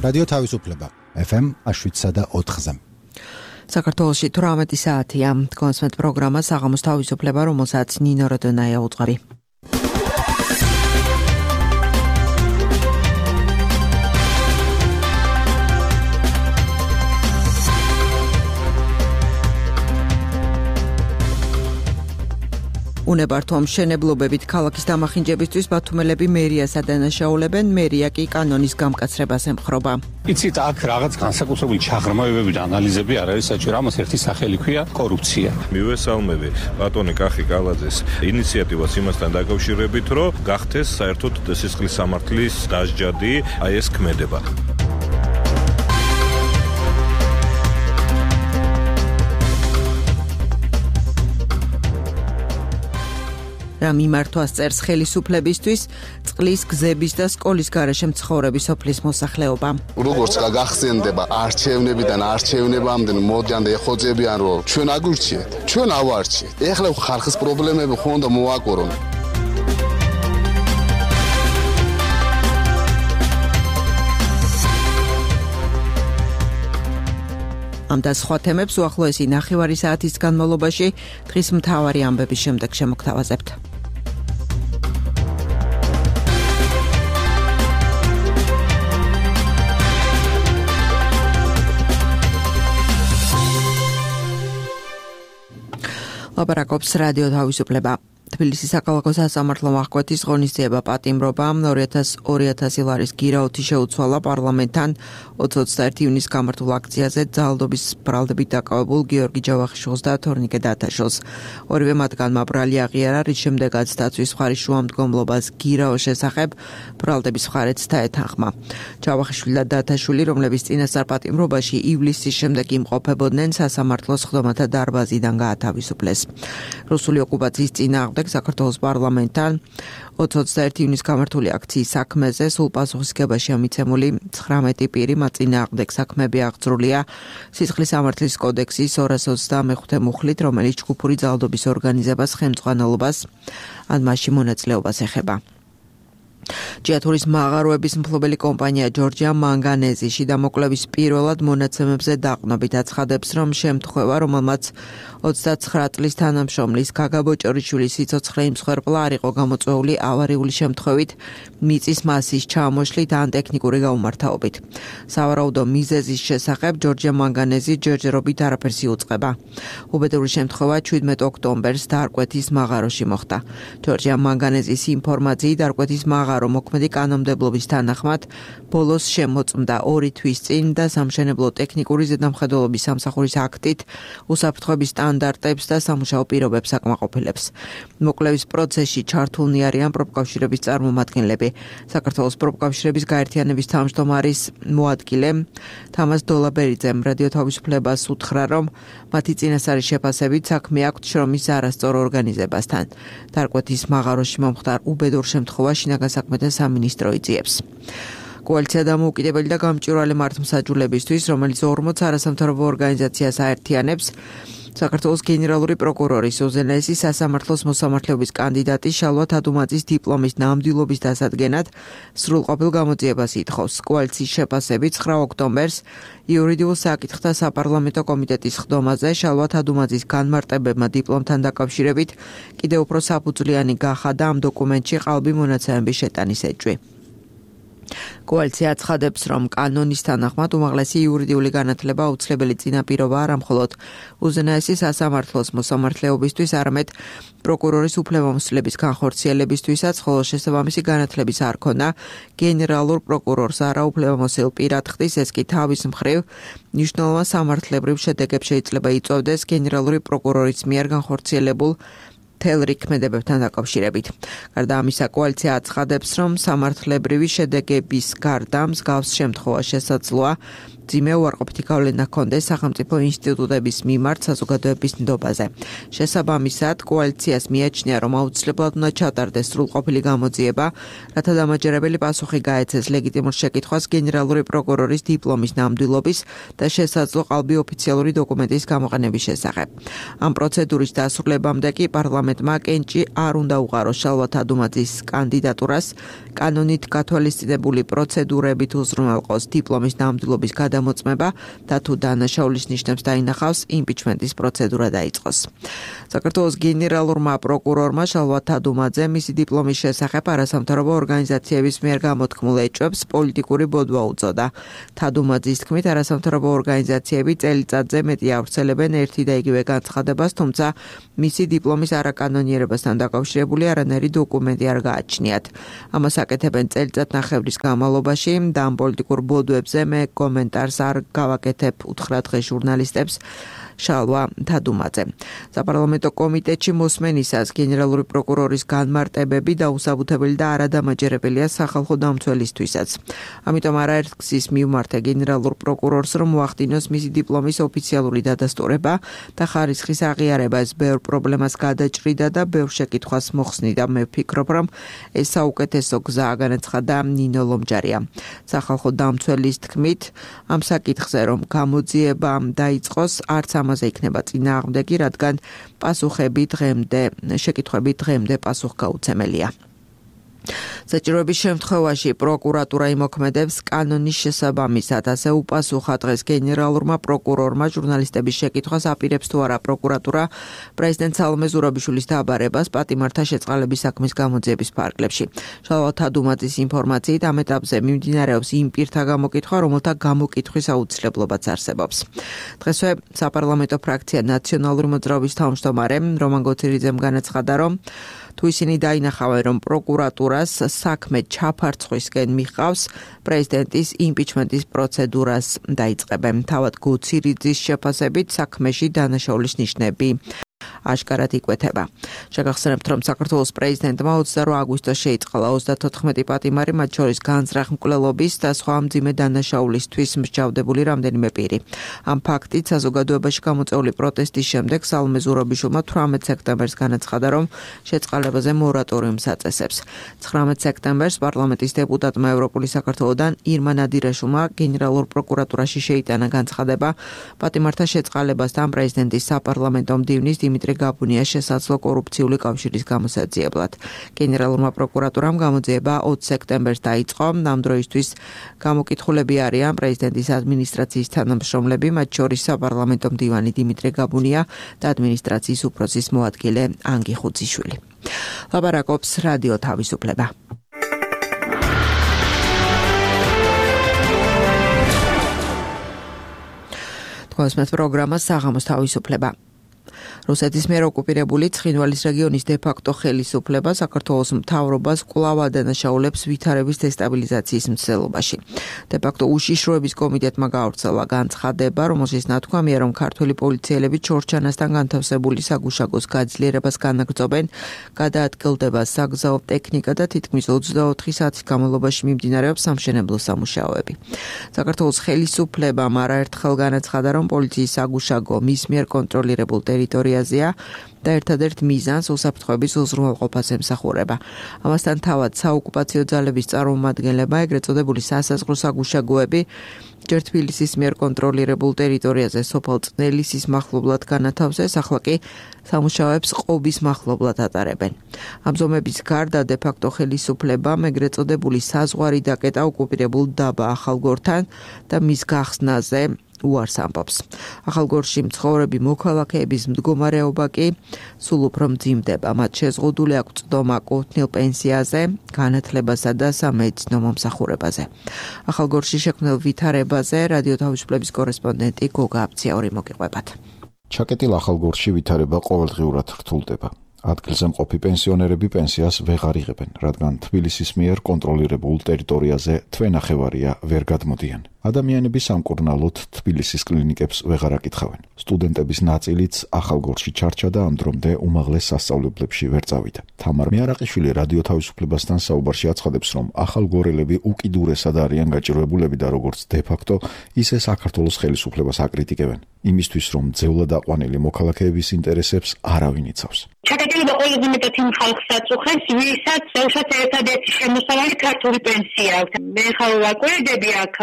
რადიო თავისუფლება FM 107.4-ზე. საქართველოში 18 საათია. კონსმეთ პროგრამა საღამოს თავისუფლება, რომელსაც ნინო როდონაია უძღვები. უნებართო მშენებლობებით ქალაქის დამახინჯებისთვის ბათუმელები მერიას ადანაშაულებენ, მერია კი კანონის გამკაცრებას ემხრობა. იცით, აქ რაღაც განსაკუთრებული ჩაღრმავებები და ანალიზები არ არის საჭირო, ამას ერთი სახელი ქვია კორუფცია. მივესალმები ბატონი კახი კალაძეს ინიციატივას იმასთან დაკავშირებით, რომ გახდეს საერთოდ სისხლის სამართლის დასჯადი, აი ეს ქმედება. რა მიმართვას წერს ხელისუფლებისთვის წყლის, გზების და სკოლის გარეშე მცხოვრები სოფლის მოსახლეობა. როგორც გახსენდება არჩევნებიდან არჩევნებამდე მოდიან და ეხოძებიან, რომ ჩვენ აგურჩიეთ, ჩვენ ავარჩიეთ. ეხლა ხალხის პრობლემები ხომ და მოაკორონ. ამ და სხვა თემებს უახლოესი ნახევარი საათის განმავლობაში დღის მთავარი ამბების შემდეგ შემოგთავაზებთ. ლაპარაკობს რადიო თავისუფლება. თბილისის საქალაქო სასამართლომ აღკვეთის ღონისძიება პატიმრობა 2000 ლარის გირაოთი შეუცვალა პარლამენტთან 21 ივნის გამართულ აქციაზე ძალადობის ბრალდებით დაკავებულ გიორგი ჯავახიშვილს და თორნიკე დათაშვილს. ორივე მათგანმა ბრალი აღიარა, რის შემდეგაც დაცვის მხარის შუამდგომლობას გირაოს შესახებ ბრალდების მხარეც დაეთანხმა. ჯავახიშვილი და დათაშვილი, რომლების წინასწარ პატიმრობაში ივლისის შემდეგ იმყოფებოდნენ, სასამართლოს სხდომათა დარბაზიდან გაათავისუფლეს. რუსული ოკუპაციის წინააღმდეგ საქართველოს პარლამენტთან 21 ივნის გამართული აქციის საქმეზე სულ პასუხისგებაში ამიცემული 19 პირი მათ წინააღმდეგ საქმეები აღძრულია სისხლის სამართლის კოდექსის 225 მუხლით, რომელიც ჯგუფური ძალადობის ორგანიზებას, ხელმძღვანელობას ან მასში მონაწილეობას ეხება. ჯიათურის მაღაროების მფლობელი კომპანია ჯორჯია მანგანეზიში დამოკვლევის პირველად მონაცემებზე დაყნობით აცხადებს, რომ შემთხვევა, რომელმაც 29 წლის თანამშრომლის გაგა ბოჭორიშვილის სიცოცხლე იმსხვერპლა არ იყო გამოწვეული ავარიული შემთხვევით, მიწის მასის ჩამოშლით ან ტექნიკური გაუმართავობით. სავარაუდო მიზეზის შესახებ ჯორჯია მანგანეზი ჯერჯერობით არაფერს იუწყება. უბედური შემთხვევა 17 ოქტომბერს დარკვეთის მაღაროში მოხდა. ჯორჯია მანგანეზის ინფორმაციით დარკვეთის მაღარო მოქმედი კანონმდებლობის თანახმად ბოლოს შემოწმდა 2 თვის წინ და სამშენებლო ტექნიკური ზედამხედველობის სამსახურის აქტით უსაფრთხოების სტანდარტებს და სამუშაო პირობებს აკმაყოფილებს. მოკლევის პროცესში ჩართულნი არიან პროფკავშირების წარმომადგენლები. საქართველოს პროფკავშირების გაერთიანების თავმჯდომარის მოადგილე თამას დოლაბერიძემ რადიო თავისუფლებას უთხრა, რომ მათი წინასწარი შეფასებით საქმე აქვთ შრომის არასწორ ორგანიზებასთან. დარკვეთის მაღაროში მომხდარ უბედურ შემთხვევაში შინაგან საქმეთა სამინისტრო იწიებს. კოალიცია დამოუკიდებელი და გამჭვირვალე მართლმსაჯულებისთვის, რომელიც 40 არასამთავრობო ორგანიზაციას აერთიანებს, საქართველოს გენერალური პროკურორის უზენაესი სასამართლოს მოსამართლეობის კანდიდატი შალვა თადუმაძის დიპლომის ნამდვილობის დასადგენად სრულყოფილ გამოძიებას ითხოვს. კოალიციის შეფასებით 9 ოქტომბერს იურიდიულ საკითხთა საპარლამენტო კომიტეტის სხდომაზე შალვა თადუმაძის განმარტებებმა დიპლომთან დაკავშირებით კიდევ უფრო საფუძვლიანი გახადა ამ დოკუმენტში ყალბი მონაცემების შეტანის ეჭვი. კოალიცია აცხადებს, რომ კანონის თანახმად უმაღლესი იურიდიული განათლება აუცილებელი წინაპირობა არა მხოლოდ უზენაესი სასამართლოს მოსამართლეობისთვის, არამედ პროკურორის უფლებამოსილების განხორციელებისთვისაც, ხოლო შესაბამისი განათლების არ ქონა გენერალურ პროკურორს არაუფლებამოსილ პირად ხდის, ეს კი თავის მხრივ მნიშვნელოვან სამართლებრივ შედეგებს შეიძლება იწვევდეს გენერალური პროკურორის მიერ განხორციელებულ თელრიქმედებებთან დაკავშირებით. გარდა ამისა, კოალიცია აცხადებს, რომ სამართლებრივი შედეგების გარდა მსგავს შემთხვევა შესაძლოა მძიმე უარყოფითი გავლენა ჰქონდეს სახელმწიფო ინსტიტუტების მიმართ საზოგადოების ნდობაზე. შესაბამისად, კოალიციას მიაჩნია, რომ აუცილებლად უნდა ჩატარდეს სრულყოფილი გამოძიება, რათა დამაჯერებელი პასუხი გაეცეს ლეგიტიმურ შეკითხვას გენერალური პროკურორის დიპლომის ნამდვილობის და შესაძლო ყალბი ოფიციალური დოკუმენტის გამოყენების შესახებ. ამ პროცედურის დასრულებამდე კი პარლამენტმა კენჭი არ უნდა უყაროს შალვა თადუმაძის კანდიდატურას, კანონით გათვალისწინებული პროცედურებით უზრუნველყოს დიპლომის ნამდვილობის გადამოწმება და თუ დანაშაულის ნიშნებს დაინახავს, იმპიჩმენტის პროცედურა დაიწყოს. საქართველოს გენერალურმა პროკურორმა შალვა თადუმაძე მისი დიპლომის შესახებ არასამთავრობო ორგანიზაციების მიერ გამოთქმულ ეჭვებს პოლიტიკური ბოდვა უწოდა. თადუმაძის თქმით, არასამთავრობო ორგანიზაციები წელიწადზე მეტი ავრცელებენ ერთი და იგივე განცხადებას, თუმცა მისი დიპლომის არაკანონიერებასთან დაკავშირებული არანაირი დოკუმენტი არ გააჩნიათ. ამას აკეთებენ წელიწადნახევრის განმავლობაში და ამ პოლიტიკურ ბოდვებზე მე კომენტარს არ გავაკეთებ, უთხრა დღეს ჟურნალისტებს შალვა თადუმაძე. საპარლამენტო კომიტეტში მოსმენისას გენერალური პროკურორის განმარტებები დაუსაბუთებელი და არადამაჯერებელია სახალხო დამცველისთვისაც. ამიტომ არაერთ გზის მივმართე გენერალურ პროკურორს, რომ მოახდინოს მისი დიპლომის ოფიციალური დადასტურება და ხარისხის აღიარება. ეს ბევრ პრობლემას გადაჭრიდა და ბევრ შეკითხვას მოხსნიდა. მე ვფიქრობ, რომ ეს საუკეთესო გზაა, განაცხადა ნინო ლომჯარია. სახალხო დამცველის თქმით, ამ საკითხზე რომ გამოძიება დაიწყოს, არც ამაზე იქნება წინააღმდეგი, რადგან შეკითხვები დღემდე პასუხგაუცემელია. საჭიროების შემთხვევაში პროკურატურა იმოქმედებს კანონის შესაბამისად, ასე უპასუხა დღეს გენერალურმა პროკურორმა ჟურნალისტების შეკითხვას, აპირებს თუ არა პროკურატურა პრეზიდენტ სალომე ზურაბიშვილის დაბარებას პატიმართა შეწყალების საქმის გამოძიების ფარგლებში. შალვა თადუმაძის ინფორმაციით, ამ ეტაპზე მიმდინარეობს იმ პირთა გამოკითხვა, რომელთა გამოკითხვის აუცილებლობაც არსებობს. დღესვე საპარლამენტო ფრაქცია ნაციონალური მოძრაობის თავმჯდომარე რომან გოცირიძემ განაცხადა, რომ თუ ისინი დაინახავენ, რომ პროკურატურას საქმე ჩაფარცხვისკენ მიყავს, პრეზიდენტის იმპიჩმენტის პროცედურას დაიწყებენ. თავად გოცირიძის შეფასებით საქმეში დანაშაულის ნიშნები აშკარად იკვეთება. შეგახსენებთ, რომ საქართველოს პრეზიდენტმა 22 აგვისტოს შეიწყალა 34 პატიმარი, მათ შორის განზრახ მკვლელობის და სხვა მძიმე დანაშაულისთვის მსჯავრდებული რამდენიმე პირი. ამ ფაქტით საზოგადოებაში გამოწვეული პროტესტის შემდეგ სალომე ზურაბიშვილმა 18 სექტემბერს განაცხადა, რომ შეწყალებაზე მორატორიუმს აწესებს. 19 სექტემბერს პარლამენტის დეპუტატმა ევროპული საქართველოდან ირმა ნადირაშვილმა გენერალურ პროკურატურაში შეიტანა განცხადება პატიმართა შეწყალებასთან პრეზიდენტის საპარლამენტო მდივნის დიმიტრი გაბუნიას შესაძლო კორუფციული კავშირის გამოსაძიებლად. გენერალურმა პროკურატურამ გამოძიება 20 სექტემბერს დაიწყო. ამ დროისთვის გამოკითხულები არიან პრეზიდენტის ადმინისტრაციის თანამშრომლები, მათ შორის საპარლამენტო მდივანი დიმიტრი გაბუნია და ადმინისტრაციის უფროსის მოადგილე ანგი ხუციშვილი. ლაპარაკობს რადიო თავისუფლება. თქვენს პროგრამა საღამოს თავისუფლება. რუსეთის მიერ ოკუპირებული ცხინვალის რეგიონის დე-ფაქტო ხელისუფლება საქართველოს მთავრობას კვლავ ადანაშაულებს ვითარების დესტაბილიზაციის მცდელობაში. დე-ფაქტო უშიშროების კომიტეტმა გაავრცელა განცხადება, რომელშიც ნათქვამია, რომ ქართველი პოლიციელები ჩორჩანასთან განთავსებული საგუშაგოს გაძლიერებას განაგრძობენ, გადაადგილდება საგზაო ტექნიკა და თითქმის 24 საათის განმავლობაში მიმდინარეობს სამშენებლო სამუშაოები. საქართველოს ხელისუფლებამ არაერთხელ განაცხადა, რომ პოლიციის საგუშაგო მის მიერ კონტროლირებულ ტერიტორიაზეა და ერთადერთ მიზანს უსაფრთხოების უზრუნველყოფას ემსახურება. ამასთან თავად საოკუპაციო ძალების წარმომადგენლებმა ეგრეთ წოდებული სასაზღვრო საგუშაგოები ჯერ თბილისის მიერ კონტროლირებულ ტერიტორიაზე სოფელ წნელისის მახლობლად განათავსეს, ახლა კი სამუშაოებს ყობის მახლობლად ატარებენ. ამ ზომების გარდა დე-ფაქტო ხელისუფლებამ ეგრეთ წოდებული საზღვარი დაკეტა ოკუპირებულ დაბა ახალგორთან და მის გახსნაზე უარს ამბობს. ახალგორში მცხოვრები მოქალაქეების მდგომარეობა კი სულ უფრო მძიმდება. მათ შეზღუდული აქვს წვდომა კუთვნილ პენსიაზე, განათლებასა და სამედიცინო მომსახურებაზე. ახალგორში შექმნილ ვითარებაზე რადიო თავისუფლების კორესპონდენტი გოგა აბციური მოგიყვებათ. ჩაკეტილ ახალგორში ვითარება ყოველდღიურად რთულდება. ადგილზე მყოფი პენსიონერები პენსიას ვეღარ იღებენ, რადგან თბილისის მიერ კონტროლირებულ ტერიტორიაზე თვე ნახევარია ვერ გადმოდიან. ადამიანები სამკურნალოდ თბილისის კლინიკებს ვეღარ აკითხავენ. სტუდენტების ნაწილიც ახალგორში ჩარჩა და ამ დრომდე უმაღლეს სასწავლებლებში ვერ წავიდა. თამარ მიარაყიშვილი რადიო თავისუფლებასთან საუბარში აცხადებს, რომ ახალგორელები უკიდურესად არიან გაჭირვებულები და როგორც დე-ფაქტო, ისე საქართველოს ხელისუფლებას აკრიტიკებენ. იმისთვის, რომ ძევლად აყვანილი მოქალაქეების ინტერესებს არავინ იცავს. ჩაკეტილება ყველაზე მეტად იმ ხალხს აწუხებს, ვისაც ერთადერთი შემოსავალი ქართული პენსია აქვს. მე ხარ ვაკვირდები აქ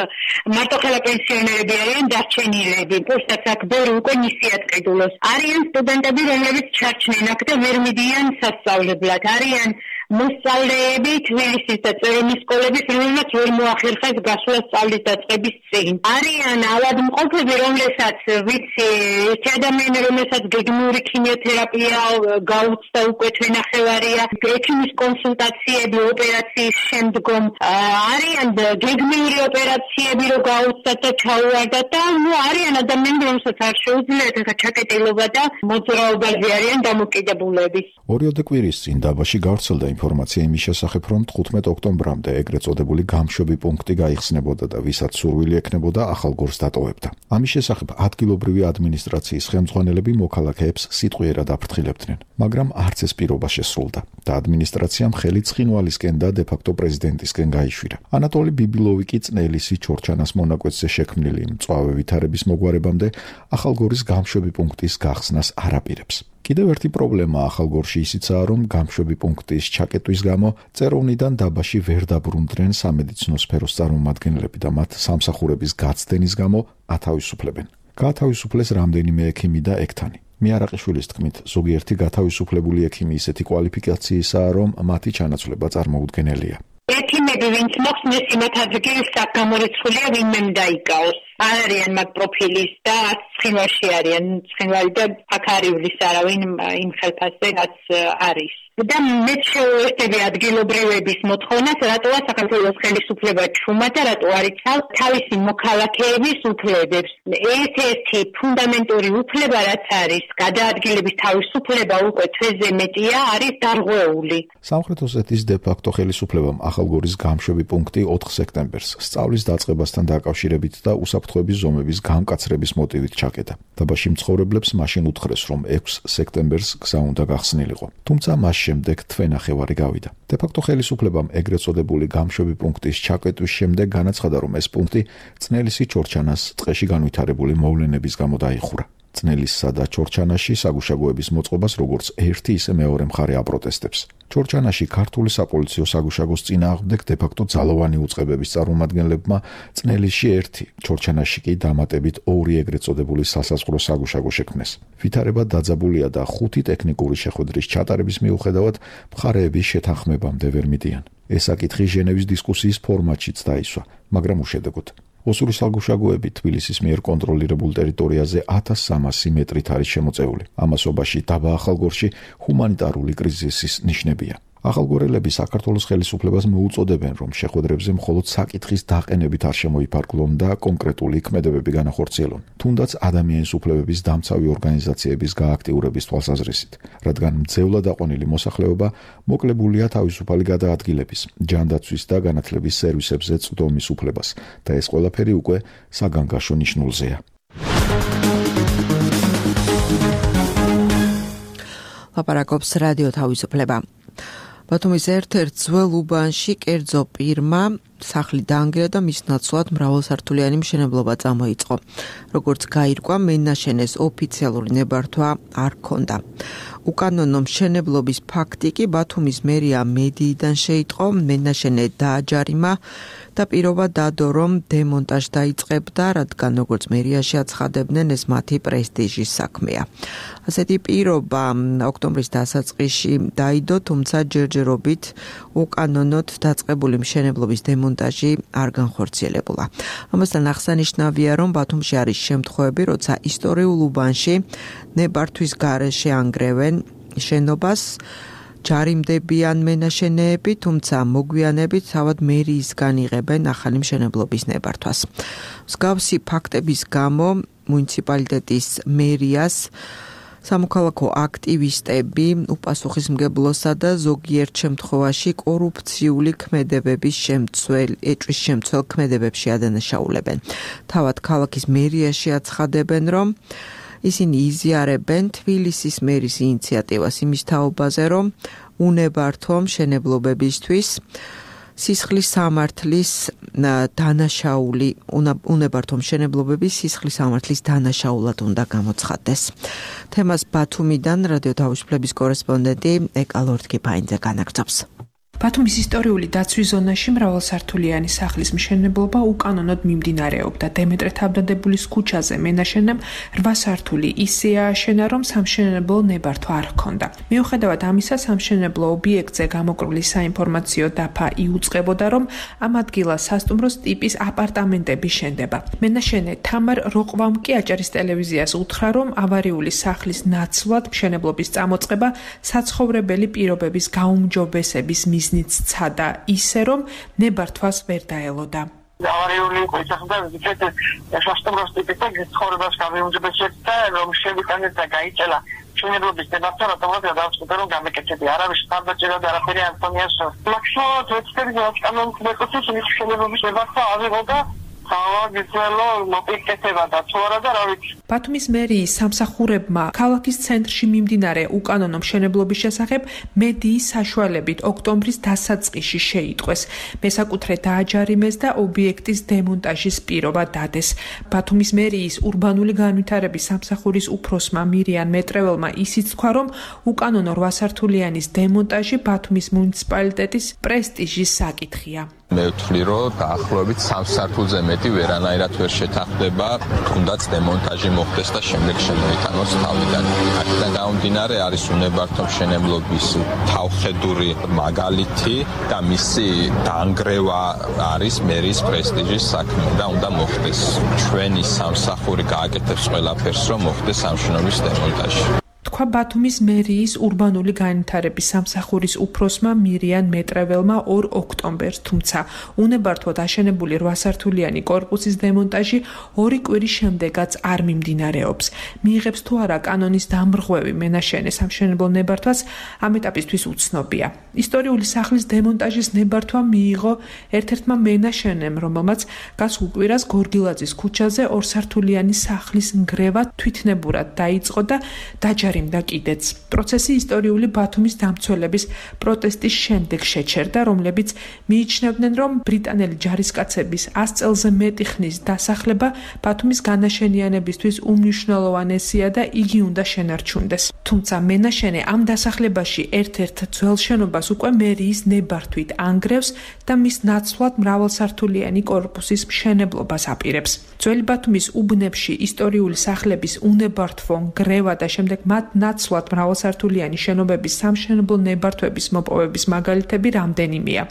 მარტოხელა პენსიონერები არიან დარჩენილები, პოსტაც აქ ბევრი უკვე ნისიად ყიდულობს. არიან სტუდენტები, რომლებიც ჩარჩნენ აქ და ვერ მიდიან სასწავლებლად. არიან მოსწავლეები თბილისის და წერონის სკოლების, რომელმაც ვერ მოახერხეს გასვლა სწავლის დაწყების წინ. არიან ავადმყოფები, რომლებსაც ვიცი, ერთი ადამიანი, რომელსაც გეგმიური ქიმიოთერაპია გაუწდა უკვე თვენახევარია, ექიმის კონსულტაციები ოპერაციის შემდგომ, არიან გეგმიური ოპერაციები რო გაუწდათ და ჩაუვარდათ და არიან ადამიანები, რომელსაც არ შეუძლიათ ახლა ჩაკეტილობა და მოძრაობაზე არიან დამოკიდებულები. ორიოდე კვირის წინ დაბაში გავრცელდა ინფორმაცია იმის შესახებ, რომ 15 ოქტომბრამდე ეგრეთ წოდებული გამშვები პუნქტი გაიხსნებოდა და ვისაც სურვილი ექნებოდა ახალგორს დატოვებდა. ამის შესახებ ადგილობრივი ადმინისტრაციის ხელმძღვანელები მოქალაქეებს სიტყვიერად აფრთხილებდნენ, მაგრამ არც ეს პირობა შესრულდა და ადმინისტრაციამ ხელი ცხინვალისკენ და დე-ფაქტო პრეზიდენტისკენ გაიშვირა. ანატოლი ბიბილოვი კი წნელისი ჩორჩანას მონაკვეთზე შექმნილი მწვავე ვითარების მოგვარებამდე ახალგორის გამშვები პუნქტის გახსნას არ აპირებს. კიდევ ერთი პრობლემა ახალგორში ისიცაა, რომ გამშვები პუნქტის ჩაკეტვის გამო წეროვნიდან დაბაში ვერ დაბრუნდნენ სამედიცინო სფეროს წარმომადგენლები და მათ სამსახურების გაცდენის გამო ათავისუფლებენ. გაათავისუფლეს რამდენიმე ექიმი და ექთანი. მიარაყიშვილის თქმით, ზოგიერთი გათავისუფლებული ექიმი ისეთი კვალიფიკაციისაა, რომ მათი ჩანაცვლება წარმოუდგენელია. ექიმები, ვინც მოხსნეს იმათ ადგილს გამორიცხულია, ვინმე დაიკავოს. არ არიან მაგ პროფილის და ცხინვალში არიან. ცხინვალი და აქ არ ივლის არავინ იმ ხელფასზე, რაც არის. და მე შეუერთები ადგილობრივების მოთხოვნას, რატოა საქართველოს ხელისუფლება ჩუმად და რატო არ იცავს თავისი მოქალაქეების უფლებებს. ერთ-ერთი ფუნდამენტური უფლება, რაც არის გადაადგილების თავისუფლება, უკვე თვეზე მეტია, არის დარღვეული. სამხრეთ ოსეთის დე-ფაქტო ხელისუფლებამ ახალგორის გამშვები პუნქტი 4 სექტემბერს სწავლის დაწყებასთან დაკავშირებით და უსაფრთხოების ზომების გამკაცრების მოტივით ჩაკეტა. დაბაში მცხოვრებლებს მაშინ უთხრეს, რომ 6 სექტემბერს გზა უნდა გახსნილიყო. თუმცა მას შემდეგ თვენახევარი გავიდა. დე-ფაქტო ხელისუფლებამ ეგრეთ წოდებული გამშვები პუნქტის ჩაკეტვის შემდეგ განაცხადა, რომ ეს პუნქტი წნელისი ჩორჩანას ტყეში განვითარებული მოვლენების გამო დაიხურა. წნელისსა და ჩორჩანაში საგუშაგოების მოწყობას როგორც ერთი ისე მეორე მხარე აპროტესტებს. ჩორჩანაში ქართული საპოლიციო საგუშაგოს წინააღმდეგ დე-ფაქტო ძალოვანი უწყებების წარმომადგენლებმა წნელისში 1, ჩორჩანაში კი დამატებით 2 ეგრეთ წოდებული სასაზღვრო საგუშაგო შექმნეს. ვითარება დაძაბულია და 5 ტექნიკური შეხვედრის ჩატარების მიუხედავად მხარეების შეთანხმებამდე ვერ მიდიან. ეს საკითხი ჟენევის დისკუსიის ფორმატშიც დაისვა, მაგრამ უშედეგოდ. ოსური საგუშაგოები თბილისის მიერ კონტროლირებულ ტერიტორიაზე 1300 მეტრით არის შემოწეული. ამასობაში დაბა ახალგორში ჰუმანიტარული კრიზისის ნიშნებია. ახალგორელები საქართველოს ხელისუფლებას მოუწოდებენ, რომ შეხვედრებზე მხოლოდ საკითხის დაყენებით არ შემოიფარგლონ და კონკრეტული ქმედებები განახორციელონ, თუნდაც ადამიანის უფლებების დამცავი ორგანიზაციების გააქტიურების თვალსაზრისით, რადგან მძევლად აყვანილი მოსახლეობა მოკლებულია თავისუფალი გადაადგილების, ჯანდაცვის და განათლების სერვისებზე წვდომის უფლებას და ეს ყველაფერი უკვე საგანგაშო ნიშნულზეა. ლაპარაკობს რადიო თავისუფლება. ბათუმის ერთ-ერთ ძველ უბანში კერძო პირმა სახლი დაანგრია და მის ნაცვლად მრავალსართულიანი მშენებლობა წამოიწყო. როგორც გაირკვა, მენაშენეს ოფიციალური ნებართვა არ ჰქონდა. უკანონო მშენებლობის ფაქტი კი ბათუმის მერია მედიიდან შეიტყო, მენაშენე დააჯარიმა და პირობა დადო, რომ დემონტაჟი დაიწყებდა, რადგან როგორც მერიაში აცხადებდნენ, ეს მათი პრესტიჟის საქმეა. ასეთი პირობა ოქტომბრის დასაწყისში დაიდო, თუმცა ჯერჯერობით უკანონოდ დაწყებული მშენებლობის დემონტაჟი არ განხორციელებულა. ამასთან აღსანიშნავია, რომ ბათუმში არის შემთხვევები, როცა ისტორიულ უბანში ნებართვის გარეშე ანგრევენ შენობას, ჯარიმდებიან მენაშენეები, თუმცა მოგვიანებით თავად მერიისგან იღებენ ახალი მშენებლობის ნებართვას. მსგავსი ფაქტების გამო მუნიციპალიტეტის მერიას სამოქალაქო აქტივისტები უპასუხისმგებლოსა და ზოგიერთ შემთხვევაში კორუფციული ქმედებების შემცველ ქმედებებში ადანაშაულებენ. თავად ქალაქის მერიაში აცხადებენ, რომ ისინი იზიარებენ თბილისის მერის ინიციატივას იმის თაობაზე, რომ უნებართვო მშენებლობებისთვის სისხლის სამართლის დანაშაული უნებართვო მშენებლობების სისხლის სამართლის დანაშაულად უნდა გამოცხადდეს. თემას ბათუმიდან რადიო თავისუფლების კორესპონდენტი ეკა ლორდ-კიფაინძე განაგრძობს. ბათუმის ისტორიული დაცვის ზონაში მრავალსართულიანი სახლის მშენებლობა უკანონოდ მიმდინარეობდა. დემეტრე თავდადებულის ქუჩაზე მენაშენემ 8 სართული ისე ააშენა, რომ სამშენებლო ნებართვა არ ჰქონდა. მიუხედავად ამისა, სამშენებლო ობიექტზე გამოკვლილი საინფორმაციო დაფა იუწყებოდა, რომ ამ ადგილას სასტუმროს ტიპის აპარტამენტები შენდება. მენაშენე თამარ როყვამ კი აჭარის ტელევიზიას უთხრა, რომ ავარიული სახლის ნაცვლად მშენებლობის წამოწყება საცხოვრებელი პირობების გაუმჯობესების მიზნით ცადა ისე, რომ ნებართვას ვერ დაელოდა. ავარიული ოჯახებთან სასტუმროს ტიპის ცხოვრებას გამიუმჯობესებდა, რომ შევიტანეთ და გაიწელა მშენებლობის ნებართვა, რატომაც გადავწყვიტე, რომ გამეკეთები. არავის ხარდაჭერა და არაფერი ანტონიას ლაქსოთ ექსპერტი საკანონმდებლო მეკუთვნის მშენებლობის ნებართვა ავიღო ბათუმის მერიის სამსახურებმა ქალაქის ცენტრში მიმდინარე უკანონო მშენებლობის შესახებ მედიის საშუალებით ოქტომბრის დასაწყისში შეიტყვეს. მესაკუთრე დააჯარიმეს და ობიექტის დემონტაჟის პირობა დადეს. ბათუმის მერიის ურბანული განვითარების სამსახურის უფროსმა მირიან მეტრეველმა ისიც თქვა, რომ უკანონო 8 სართულიანის დემონტაჟი ბათუმის მუნიციპალიტეტის პრესტიჟის საკითხია. მე ვთვლი, რომ დაახლოებით 3 სართულზე მეტი ვერანაირად ვერ შეთანხმდება, თუნდაც დემონტაჟი მოხდეს და შემდეგ შემოიტანოს თავიდან. აქედან გამომდინარე არის უნებართვო მშენებლობის თავხედური მაგალითი და მისი დაანგრევა არის მერის პრესტიჟის საქმე და უნდა მოხდეს. ჩვენი სამსახური გააკეთებს ყველაფერს, რომ მოხდეს ამ შენობის დემონტაჟი. თქვა ბათუმის მერიის ურბანული განვითარების სამსახურის უფროსმა მირიან მეტრეველმა 2 ოქტომბერს, თუმცა უნებართვოდ აშენებული 8 სართულიანი კორპუსის დემონტაჟი 2 კვირის შემდეგაც არ მიმდინარეობს. მიიღებს თუ არა კანონის დამრღვევი მენაშენე სამშენებლო ნებართვას ამ ეტაპისთვის უცნობია. ისტორიული სახლის დემონტაჟის ნებართვა მიიღო ერთ-ერთმა მენაშენემ, რომელმაც გასულ კვირას გორგილაძის ქუჩაზე 2 სართულიანი სახლის ნგრევა თვითნებურად დაიწყო და დაჯარიმდა და კიდეც. პროცესი ისტორიული ბათუმის დამცველების პროტესტის შემდეგ შეჩერდა, რომლებიც მიიჩნევდნენ, რომ ბრიტანელი ჯარისკაცების 100 წელზე მეტი ხნის დასახლება ბათუმის განაშენიანებისთვის უმნიშვნელოვანესია და იგი უნდა შენარჩუნდეს. თუმცა მენაშენე ამ დასახლებაში ერთ-ერთ ძველ შენობას უკვე მერიის ნებართვით ანგრევს და მის ნაცვლად მრავალსართულიანი კორპუსის მშენებლობას აპირებს. ძველი ბათუმის უბნებში ისტორიული სახლების უნებართვო ნგრევა და შემდეგ მათ ნაცვლად მრავალსართულიანი შენობების სამშენებლო ნებართვების მოპოვების მაგალითები რამდენიმეა.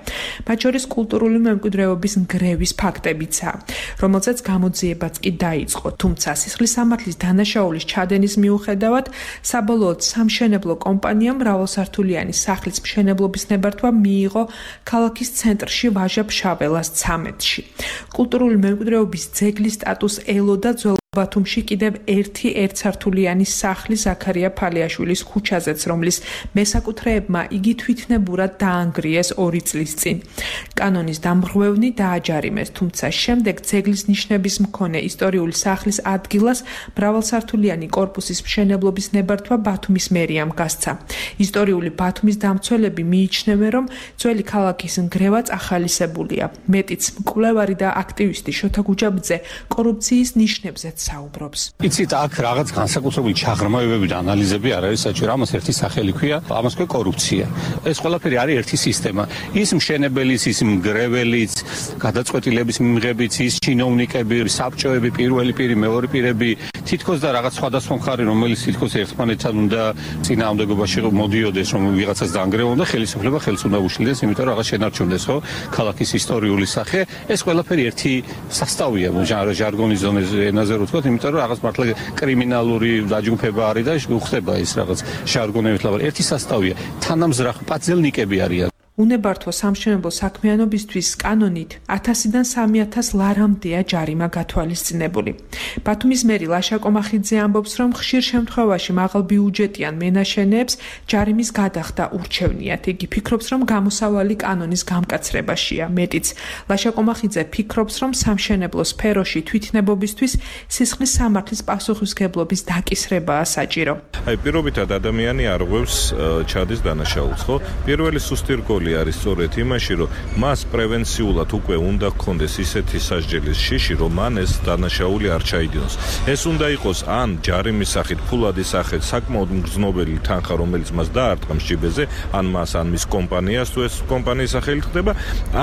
მათ შორის კულტურული მემკვიდრეობის ნგრევის ფაქტებიცაა, რომელზეც გამოძიებაც კი დაიწყო. თუმცა სისხლის სამართლის დანაშაულის ჩადენის მიუხედავად, საბოლოოდ სამშენებლო კომპანიამ მრავალსართულიანი სახლის მშენებლობის ნებართვა მიიღო ქალაქის ცენტრში ვაჟა-ფშაველას 13-ში. კულტურული მემკვიდრეობის ძეგლის სტატუსს ელოდა ძველ ბათუმში კიდევ ერთი ერთსართულიანი სახლი ზაქარია ფალიაშვილის ქუჩაზეც, რომლის მესაკუთრეებმა იგი თვითნებურად დაანგრიეს 2 წლის წინ. კანონის დამრღვევნი დააჯარიმეს, თუმცა შემდეგ ძეგლის ნიშნების მქონე ისტორიული სახლის ადგილას მრავალსართულიანი კორპუსის მშენებლობის ნებართვა ბათუმის მერიამ გასცა. ისტორიული ბათუმის დამცველები მიიჩნევენ, რომ ძველი ქალაქის ნგრევაც ახალისებულია. მეტიც მკვლევარი და აქტივისტი შოთა გუჯაბძე კორუფციის ნიშნებზეც საუბრობს. იცით, აქ რაღაც განსაკუთრებული ჩაღრმავებები და ანალიზები არ არის საჭირო. ამას ერთი სახელი ქვია, ამას ქვია კორუფცია. ეს ყველაფერი არის ერთი სისტემა. ის მშენებელიც, ის მგრეველიც, გადაწყვეტილების მიღებიც, ის ჩინოვნიკები, საბჭოები, პირველი პირი, მეორე პირები, თითქოს და რაღაც სხვადასხვა მხარე, რომელიც თითქოს ერთმანეთთან უნდა წინააღმდეგობაში მოდიოდეს, რომ ვიღაცას დაანგრევონ და ხელისუფლება ხელს უნდა უშლიდეს, იმიტომ რომ რაღაც შენარჩუნდეს, ხო? ქალაქის ისტორიული სახე, ეს ყველაფერი ერთი სასწაულია, ჟარგონის ენაზე რო ვთქვათ, იმიტომ რომ რაღაც მართლა კრიმინალური დაჯგუფება არის და უხდება ის რაღაც ჟარგონებით ლაპარაკი. ერთი სასწაულია, თანამზრახ პაძელნიკები არიან. უნებართვო სამშენებლო საქმიანობისთვის კანონით 1000-დან 3000 ლარამდეა ჯარიმა გათვალისწინებული. ბათუმის მერი ლაშა კომახიძე ამბობს, რომ ხშირ შემთხვევაში მაღალბიუჯეტიან მენაშენეებს ჯარიმის გადახდა ურჩევნიათ. იგი ფიქრობს, რომ გამოსავალი კანონის გამკაცრებაშია. მეტიც, ლაშა კომახიძე ფიქრობს, რომ სამშენებლო სფეროში თვითნებობისთვის სისხლის სამართლის პასუხისმგებლობის დაკისრებაა საჭირო. პირობითად ადამიანი არ ღვევს ჩადის დანაშაულს, ხო? პირველი სუსტი რგოლი არის სწორედ იმაში, რომ მას პრევენციულად უკვე უნდა გქონდეს ისეთი სასჯელის შიში, რომ მან ეს დანაშაული არ ჩაიდინოს. ეს უნდა იყოს ან ჯარიმის სახით, ფულადის სახით, საკმაოდ მგრძნობელი თანხა, რომელიც მას დაარტყამს ჯიბეზე, ან მას, ან მის კომპანიას, თუ ეს კომპანიის სახელით ხდება,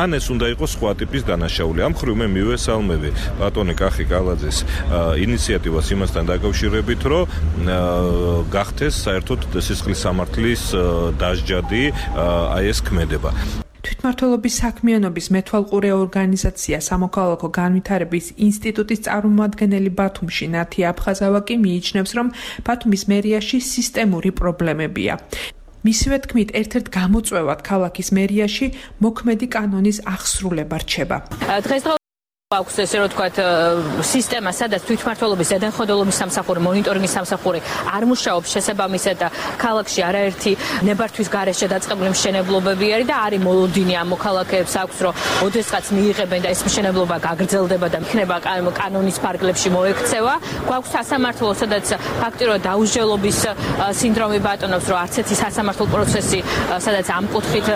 ან ეს უნდა იყოს სხვა ტიპის დანაშაული. ამ მხრივ მე მივესალმები ბატონი კახი კალაძეს ინიციატივას იმასთან დაკავშირებით, რომ გახდეს საერთოდ სისხლის სამართლის დასჯადი აი ეს ქმედება. თვითმმართველობის საქმიანობის მეთვალყურე ორგანიზაცია სამოქალაქო განვითარების ინსტიტუტის წარმომადგენელი ბათუმში ნათი აფხაზავა კი მიიჩნევს, რომ ბათუმის მერიაში სისტემური პრობლემებია. მისივე თქმით, ერთ-ერთ გამოწვევად ქალაქის მერიაში მოქმედი კანონის აღსრულება რჩება. აქვს ესე რომ თქვათ სისტემა, სადაც თვითმმართველობის ზედამხედველობის სამსახური, მონიტორინგის სამსახური არ მუშაობს შესაბამისად და ქალაქში არაერთი ნებართვის გარეშე დაწყებული მშენებლობები არის და არის მოლოდინი ამ მოქალაქეებს აქვს, რომ ოდესღაც მიიღებენ და ეს მშენებლობა გაგრძელდება და იქნება კანონის ფარგლებში მოექცევა. გვაქვს სასამართლო, სადაც ფაქტიურად დაუსჯელობის სინდრომი ბატონობს, რომ არც ერთი სასამართლო პროცესი, სადაც ამ კუთხით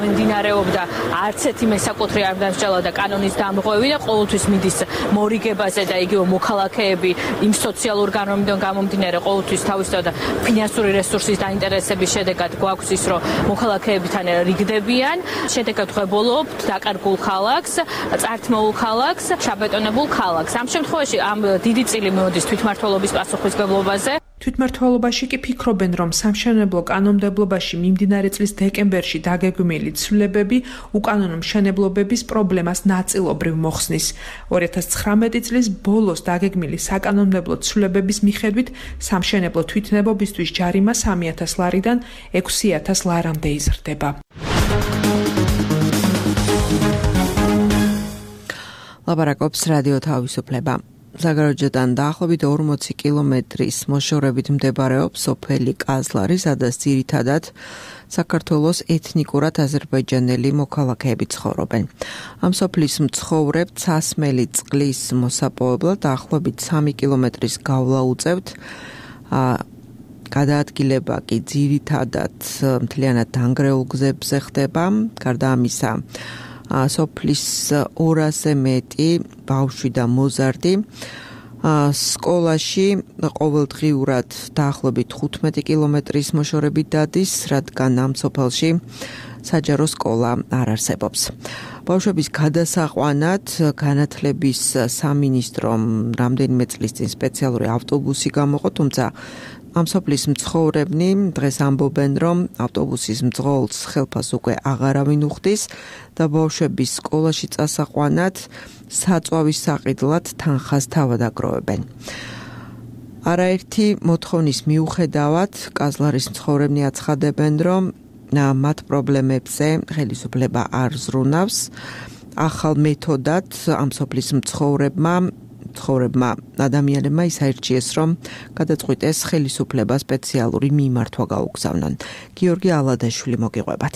მიმდინარეობდა, არც ერთი მესაკუთრე არ დამსჯელა და კანონის დამღვევი და ყოველთვის მიდის მორიგებაზე და იგივე მოქალაქეები იმ სოციალურ განმავლობიდან გამომდინარე ყოველთვის თავისთავად ფინანსური რესურსის დაინტერესების შედეგად გვაქვს ის, რომ მოქალაქეებთან რიგდებიან, შედეგად ღვებულობთ დაკარგულ ქალაქს, წართმოულ ქალაქს, შაბეტონებულ ქალაქს. ამ შემთხვევაში ამ დიდი წილი მოდის თვითმმართველობის პასუხისმგებლობაზე. თვითმმართველობაში კი ფიქრობენ, რომ სამშენებლო კანონმდებლობაში მიმდინარე წლის დეკემბერში დაგეგმილი ცვლილებები უკანონო მშენებლობების პრობლემას ნაწილობრივ მოხსნის. 2019 წლის ბოლოს დაგეგმილი საკანონმდებლო ცვლილებების მიხედვით სამშენებლო თვითნებობისთვის ჯარიმა 3000 ლარიდან 6000 ლარამდე იზრდება. ლაპარაკობს რადიო თავისუფლება. ზაგაროჯედან დაახლოებით 40 კილომეტრის მოშორებით მდებარეობს სოფელი კაზლარი, სადაც ძირითადად საქართველოს ეთნიკურად აზერბაიჯანელი მოქალაქეები ცხოვრობენ. ამ სოფლის მცხოვრებ ცასმელი წყლის მოსაპოვებლად დაახლოებით 3 კილომეტრის გავლა უწევთ. გადაადგილება კი ძირითადად მთლიანად დანგრეულ გზებზე ხდება. გარდა ამისა, სოფლის 200-ზე მეტი ბავშვი და მოზარდი სკოლაში ყოველდღიურად დაახლოებით 15 კილომეტრის მოშორებით დადის, რადგან ამ სოფელში საჯარო სკოლა არ არსებობს. ბავშვების გადასაყვანად განათლების სამინისტრომ რამდენიმე წლის წინ სპეციალური ავტობუსი გამოყო, თუმცა ამ სოფლის მცხოვრებნი დღეს ამბობენ, რომ ავტობუსის მძღოლს ხელფას უკვე აღარავინ უხდის და ბავშვების სკოლაში წასაყვანად საწვავის საყიდლად თანხას თავად აგროვებენ. არაერთი მოთხოვნის მიუხედავად კაზლარის მცხოვრებნი აცხადებენ, რომ მათ პრობლემებზე ხელისუფლება არ ზრუნავს. ახალ მეთოდად ამ სოფლის მცხოვრებმა ადამიანებმა ის აირჩიეს, რომ გადაწყვიტეს ხელისუფლება სპეციალური მიმართვა გაუგზავნონ. გიორგი ალადაშვილი მოგიყვებათ.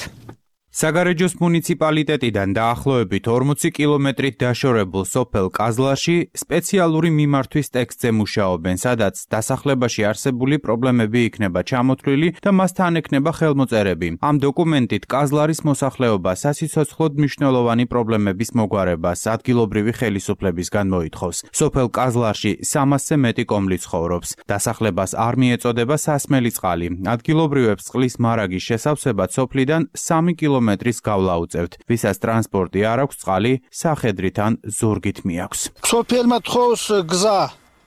საგარეჯოს მუნიციპალიტეტიდან დაახლოებით 40 კილომეტრით დაშორებულ სოფელ კაზლარში სპეციალური მიმართვის ტექსტზე მუშაობენ, სადაც დასახლებაში არსებული პრობლემები იქნება ჩამოთვლილი და მასთან ექნება ხელმოწერები. ამ დოკუმენტით კაზლარის მოსახლეობა სასიცოცხლოდ მნიშვნელოვანი პრობლემების მოგვარებას ადგილობრივი ხელისუფლებისგან მოითხოვს. სოფელ კაზლარში 300-ზე მეტი კომლი ცხოვრობს. დასახლებას არ მიეწოდება სასმელი წყალი. ადგილობრივებს წყლის მარაგის შესავსებად სოფლიდან 3 კილომეტრის გავლა უწევთ. ვისაც ტრანსპორტი არ აქვს, წყალი სახედრით ან ზურგით მიაქვს. სოფელმა თხოვს გზა,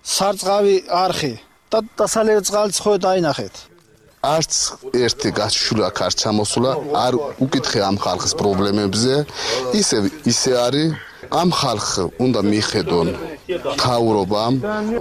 სარწყავი არხი და დასალევი წყალი ცხოე დაინახეთ. არც ერთი გაშულა აქ არ ჩამოსულა, არ უკითხე ამ ხალხის პრობლემებზე, ისე არის. ამ ხალხს უნდა მიხედონ მთავრობამ,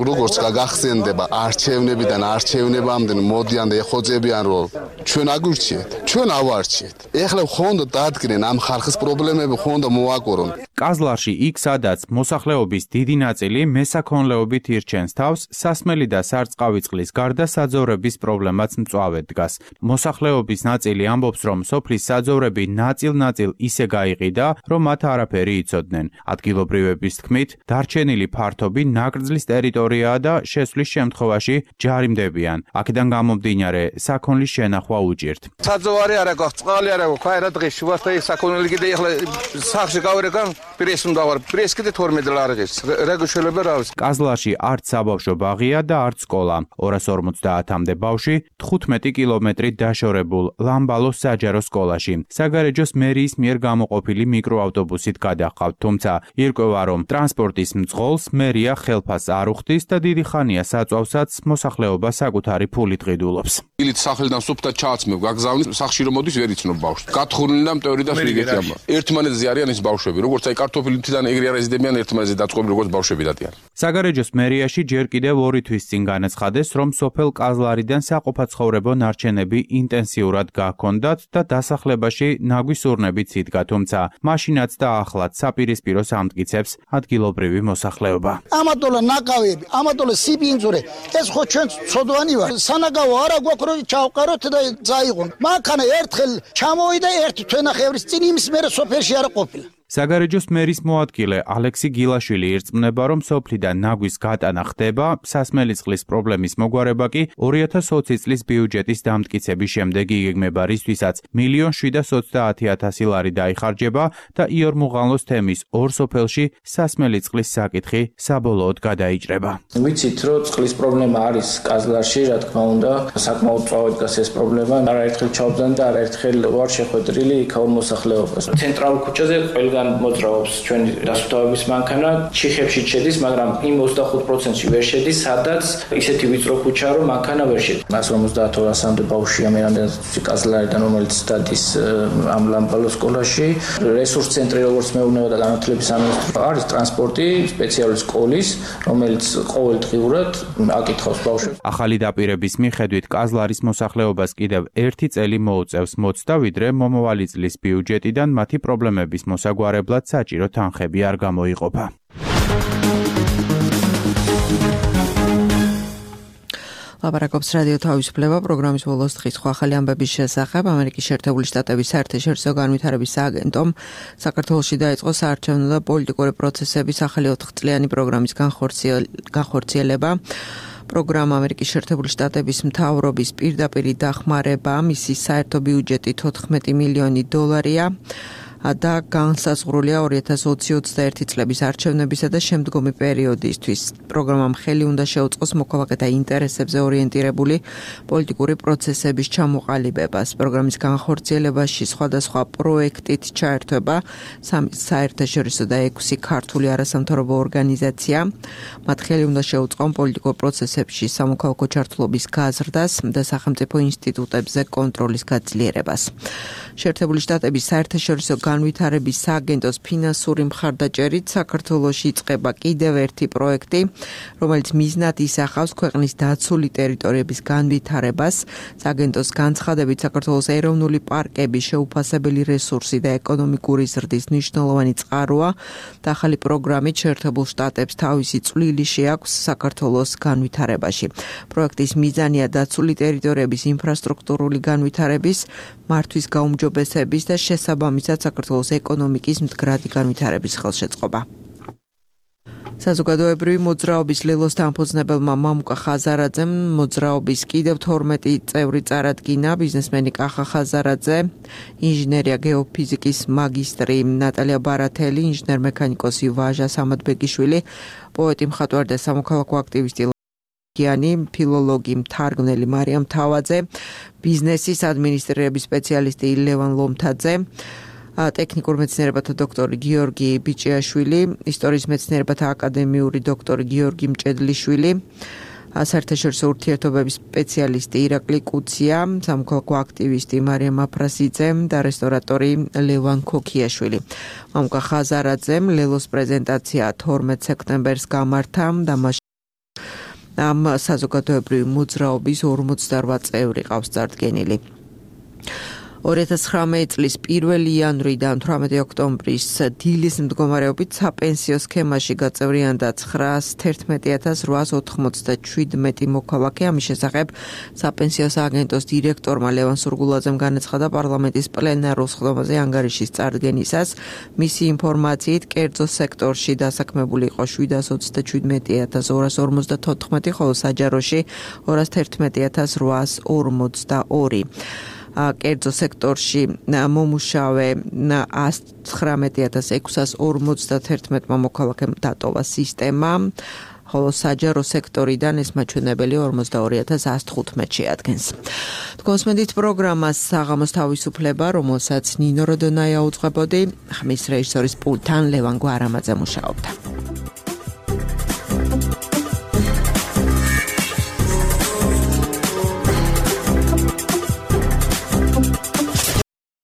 როგორც გაგახსენდება არჩევნებიდან არჩევნებამდე მოდიან და ეხოწებიან, რომ ჩვენ აგვირჩიეთ, ჩვენ ავარჩიეთ. ეხლა ხონდა დადგნენ ამ ხალხის პრობლემები ხონდა მოაკორონ. კაზლარში იქ სადაც მოსახლეობის დიდი ნაწილი მესაქონლეობით ირჩენს თავს, სასმელი და სარწყავი წყლის გარდა საძოვრების პრობლემაც მწვავედ დგას. მოსახლეობის ნაწილი ამბობს, რომ სოფლის საძოვრები ნაწილ-ნაწილ ისე გაიყიდა, რომ მათ არაფერი იცოდნენ. ადგილობრივების თქმით, დარჩენილი ფართობი ნაკრძლის ტერიტორიაა და შესვლის შემთხვევაში ჯარიმდებიან. აქედან გამომდინარე, საქონლის შენახვა უჭირთ. საძოვარი არა გვაქვს, წყალი არა გვაქვს, აი რა დღეს შუასთან საქონელი კიდე ეხლა სახში გავერგან პრეს უნდა ვარ. პრეს კიდე 12 ლარი ღირს. რა გეშველება რა არის? კაზლარში არც საბავშვო ბაღია და არც სკოლა. 250-მდე ბავშვი 15 კილომეტრით დაშორებულ ლამბალოს საჯარო სკოლაში. საგარეჯოს მერიის მიერ გამოყოფილი მიკროავტობუსით გადაჰყავთ, თუმცა ირკვევა, რომ ტრანსპორტის მძღოლს მერია ხელფასს არ უხდის და დიდი ხანია საწვავსაც მოსახლეობა საკუთარი ფულით ყიდულობს. ილით სახელიდან სუფთა ჩააცმევ, გაგზავნით, სახში რომ მოდის ვერ იცნობ ბავშვს. გათხრული და მტევრი და ფრიგეთი ამბა. ერთმანეთზე არიან ის ბავშვები, როგორც აი კარტოფილი თიდან ეგრე არ ეზიდებიან ერთმანეთზე დაწყობილი როგორც ბავშვები დადიან. საგარეჯოს მერიაში ჯერ კიდევ 2 თვის წინ განაცხადეს, რომ სოფელ კაზლარიდან საყოფაცხოვრებო ნარჩენები ინტენსიურად გაქონდათ და დასახლებაში ნაგვის ურნებიც იდგა, თუმცა მაშინაც და ახლაც საპირისპიროს ამტკიცებს ადგილობრივი მოსახლეობა. ამატოლა ნაკავები, ამატოლა სიბინძურე, ეს ხო ჩვენ ცოდვანი ვარ. სანაგავო არა გვაქვს რომ ჩავყაროთ და წაიღონ. მანქანა ერთხელ ჩამოვიდა ერთ თვენახევრის წინ იმის მერე სოფელში არ ყოფილა. საგარეჯოს მერის მოადგილე ალექსი გილაშვილი ირწმუნება, რომ სოფლიდან ნაგვის გატანა ხდება, სასმელი წყლის პრობლემის მოგვარება კი 2020 წლის ბიუჯეტის დამტკიცების შემდეგ იგეგმება, რისთვისაც 1,720,000 ლარი დაიხარჯება და იორმუღალოს თემის 2 სოფელში სასმელი წყლის საკითხი საბოლოოდ გადაიჭრება. ვიცით, რომ წყლის პრობლემა არის კაზლარში, რა თქმა უნდა, საკმაოდ წვავად დგას ეს პრობლემა, არაერთხელ ჩავდან და არაერთხელ ვარ შეხვედრილი იქაურ მოსახლეობას. ცენტრალურ ქუჩაზე ყველგან მოძრაობს ჩვენი დასუფთავების მანქანა, ჩიხებში შედის, მაგრამ იმ 25%-ში ვერ შედის, სადაც ისეთი ვიწრო ქუჩაა, რომ მანქანა ვერ შედის. 150-200-მდე ბავშვია მე რამდენად კაზლარიდან, რომელიც დადის ამ ლამბალოს სკოლაში. რესურს ცენტრი, როგორც მეურნეობა და განათლების სამინისტრო, არის ტრანსპორტი, სპეციალური სკოლის, რომელიც ყოველდღიურად აკითხავს ბავშვებს. ახალი დაპირების მიხედვით კაზლარის მოსახლეობას კიდევ 1 წელი მოუწევს მოცდა, ვიდრე მომავალი წლის ბიუჯეტიდან მათი პრობლემების მოსაგვარებლად საჭირო თანხები არ გამოიყოფა. ლაპარაკობს რადიო თავისუფლება პროგრამის ბოლოს დღის ახალი ამბების შესახებ. ამერიკის შეერთებული შტატების საერთაშორისო განვითარების სააგენტომ საქართველოში დაიწყო საარჩევნო და პოლიტიკური პროცესების ახალი 4-წლიანი პროგრამის განხორციელება. პროგრამა ამერიკის შეერთებული შტატების მთავრობის პირდაპირ დახმარება, მისი საერთო ბიუჯეტი 14 მილიონი დოლარია. და განსაზღვრულია 2020-21 წლების არჩევნებისა და შემდგომი პერიოდისთვის. პროგრამამ ხელი უნდა შეუწყოს მოქალაქეთა ინტერესებზე ორიენტირებული პოლიტიკური პროცესების ჩამოყალიბებას. პროგრამის განხორციელებაში სხვადასხვა პროექტით ჩაერთვება 3 საერთაშორისო და 6 ქართული არასამთავრობო ორგანიზაცია. მათ ხელი უნდა შეუწყონ პოლიტიკურ პროცესებში სამოქალაქო ჩართულობის გაზრდას და სახელმწიფო ინსტიტუტებზე კონტროლის გაძლიერებას. შეერთებული შტატების საერთაშორისო განვითარების სააგენტოს ფინანსური მხარდაჭერით საქართველოში იწყება კიდევ ერთი პროექტი, რომელიც მიზნად ისახავს ქვეყნის დაცული ტერიტორიების განვითარებას. სააგენტოს განცხადებით, საქართველოს ეროვნული პარკები შეუფასებელი რესურსი და ეკონომიკური ზრდის მნიშვნელოვანი წყაროა და ახალი პროგრამით შეერთებულ შტატებს თავისი წვლილი შეაქვს საქართველოს განვითარებაში. პროექტის მიზანია დაცული ტერიტორიების ინფრასტრუქტურული განვითარების, მართვის გაუმჯობესების და შესაბამისად საქართველოს ეკონომიკის მდგრადი განვითარების ხელშეწყობა. საზოგადოებრივი მოძრაობის ლელოს დამფუძნებელმა მამუკა ხაზარაძემ მოძრაობის კიდევ 12 წევრი წარადგინა. ბიზნესმენი კახა ხაზარაძე, ინჟინერია გეოფიზიკის მაგისტრი ნატალია ბარათელი, ინჟინერ-მექანიკოსი ვაჟა სამადბეგიშვილი, პოეტი, მხატვარი და სამოქალაქო აქტივისტი ფილოლოგი, მთარგმნელი მარიამ თავაძე, ბიზნესის ადმინისტრირების სპეციალისტი ლევან ლომთაძე, ტექნიკურ მეცნიერებათა დოქტორი გიორგი ბიჭიაშვილი, ისტორიის მეცნიერებათა აკადემიური დოქტორი გიორგი მჭედლიშვილი, საერთაშორისო ურთიერთობების სპეციალისტი ირაკლი კუცია, სამოქალაქო აქტივისტი მარიამ აფრასიძე და რესტორატორი ლევან ქოქიაშვილი. მამუკა ხაზარაძემ ლელოს პრეზენტაცია 12 სექტემბერს გამართა და ამ საზოგადოებრივი მოძრაობის 48 წევრი ყავს წარდგენილი. 2019 წლის 1 იანვრიდან 18 ოქტომბრის დილის მდგომარეობით საპენსიო სქემაში გაწევრიანდა 911897 მოქალაქე. ამის შესახებ საპენსიო სააგენტოს დირექტორმა ლევან სურგულაძემ განაცხადა პარლამენტის პლენარულ სხდომაზე ანგარიშის წარდგენისას. მისი ინფორმაციით კერძო სექტორში დასაქმებული იყო 727254, ხოლო საჯაროში 211842. კერძო სექტორში მომუშავე 19,651 მოქალაქემ დატოვა სისტემა, ხოლო საჯარო სექტორიდან ეს მაჩვენებელი 42115 შეადგენს. თქვენსმენდით პროგრამას საღამოს თავისუფლება, რომელსაც ნინო როდონაია უძღვებოდი, ხმის რეჟისორის პულტთან ლევან გვარამაძე მუშაობდა.